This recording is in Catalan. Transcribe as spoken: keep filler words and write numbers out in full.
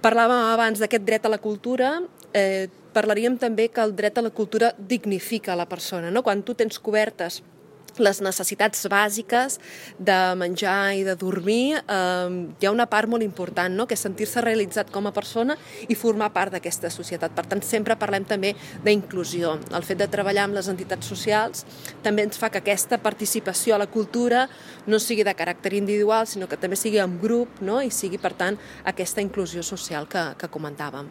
Parlàvem abans d'aquest dret a la cultura, eh, parlaríem també que el dret a la cultura dignifica la persona, no? Quan tu tens cobertes les necessitats bàsiques de menjar i de dormir, eh, hi ha una part molt important, no? Que és sentir-se realitzat com a persona i formar part d'aquesta societat. Per tant, sempre parlem també d'inclusió. El fet de treballar amb les entitats socials també ens fa que aquesta participació a la cultura no sigui de caràcter individual, sinó que també sigui en grup, no? I sigui, per tant, aquesta inclusió social que, que comentàvem.